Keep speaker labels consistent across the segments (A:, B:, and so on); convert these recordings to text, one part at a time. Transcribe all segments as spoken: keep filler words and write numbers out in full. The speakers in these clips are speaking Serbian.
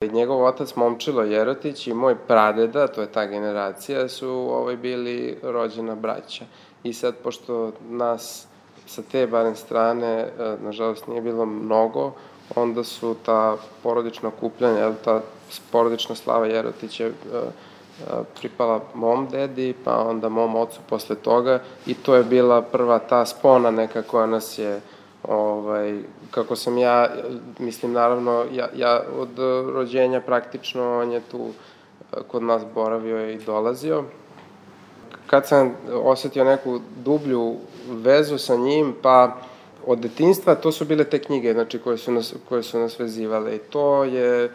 A: Njegov otac Momčilo Jerotić i moj pradeda, to je ta generacija, su ovaj, bili rođena braća. I sad, pošto nas sa te barem strane, nažalost, nije bilo mnogo, onda su ta porodična okupljanja, ta porodična slava Jerotića pripala mom dedi, pa onda mom ocu posle toga, i to je bila prva ta spona neka koja nas je, ovaj, kako sam ja, mislim, naravno, ja, ja od rođenja praktično, on je tu kod nas boravio i dolazio. Kad sam osetio neku dublju vezu sa njim, pa od detinjstva, to su bile te knjige, znači, koje su nas, koje su nas vezivale. I to je,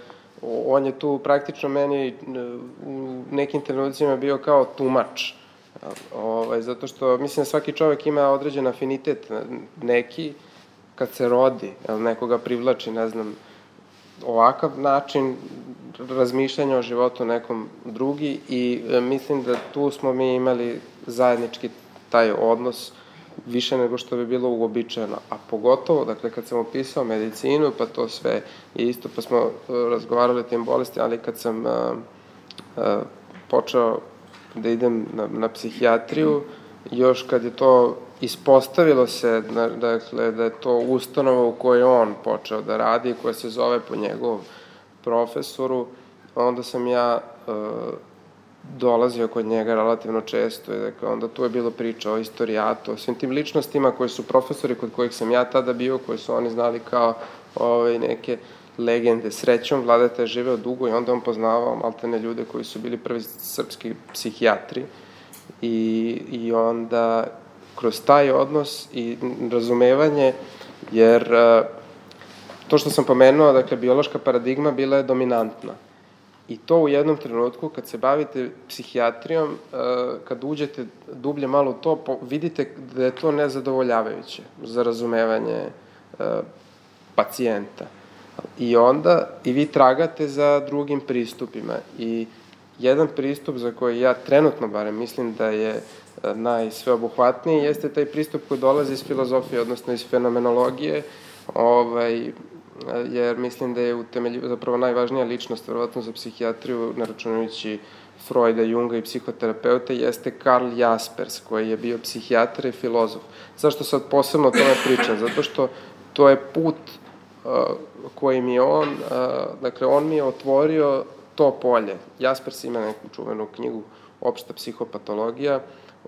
A: on je tu praktično meni u nekim trenucima bio kao tumač. Ovaj, zato što, mislim, da svaki čovek ima određen afinitet neki, kad se rodi, nekoga privlači, ne znam, ovakav način razmišljanja o životu nekom drugi, i mislim da tu smo mi imali zajednički taj odnos više nego što bi bilo uobičajeno. A pogotovo, dakle, kad sam upisao medicinu, pa to sve je isto, pa smo razgovarali o tim bolestima, ali kad sam počeo da idem na, na psihijatriju, još kad je to ispostavilo se, dakle, da je to ustanova u kojoj on počeo da radi, koja se zove po njegovom profesoru, onda sam ja e, dolazio kod njega relativno često, i dakle, onda tu je bilo priča o istorijatu, o svim tim ličnostima koji su profesori kod kojih sam ja tada bio, koji su oni znali kao ove, neke legende. Srećom, Vladeta je živeo dugo i onda on poznavao maltene ljude koji su bili prvi srpski psihijatri, i, i onda kroz taj odnos i razumevanje, jer to što sam pomenuo, dakle, biološka paradigma bila je dominantna. I to u jednom trenutku, kad se bavite psihijatrijom, kad uđete dublje malo u to, vidite da je to nezadovoljavajuće za razumevanje pacijenta. I onda i vi tragate za drugim pristupima. I jedan pristup za koji ja trenutno barem mislim da je najsveobuhvatniji jeste taj pristup koji dolazi iz filozofije, odnosno iz fenomenologije, ovaj, jer mislim da je utemeljiva, zapravo najvažnija ličnost, verovatno za psihijatriju, naračunajući Freuda, Junga i psihoterapeuta, jeste Karl Jaspers, koji je bio psihijatar i filozof. Zašto sad posebno o tome pričam? Zato što to je put uh, koji mi je on, uh, dakle, on mi je otvorio to polje. Jaspers ima neku čuvenu knjigu Opšta psihopatologija,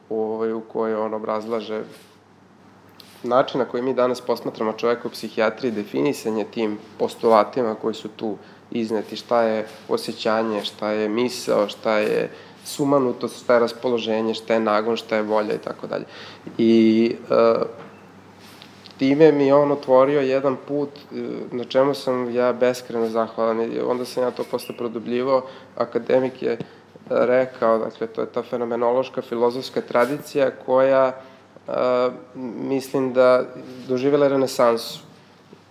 A: u, u kojoj on obrazlaže način na koji mi danas posmatramo čoveka u psihijatriji, definisanje tim postulatima koji su tu izneti, šta je osjećanje, šta je misao, šta je sumanutost, šta je raspoloženje, šta je nagon, šta je volja i tako dalje. I uh, time mi je on otvorio jedan put na čemu sam ja beskreno zahvalan, i onda sam ja to posle produbljivao. Akademik je rekao, dakle, to je ta fenomenološka filozofska tradicija koja, a, mislim da doživjela renesansu.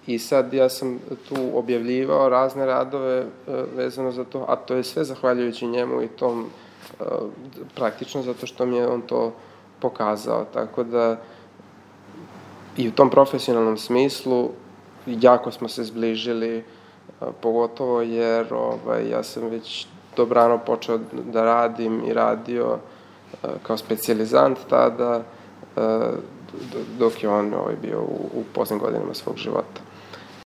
A: I sad ja sam tu objavljivao razne radove a, vezano za to, a to je sve zahvaljujući njemu i tom, a, praktično zato što mi je on to pokazao. Tako da i u tom profesionalnom smislu jako smo se zbližili, a, pogotovo jer ovaj, ja sam već dobrano počeo da radim i radio a, kao specijalizant tada, a, dok je on ovaj, bio u, u poznim godinama svog života.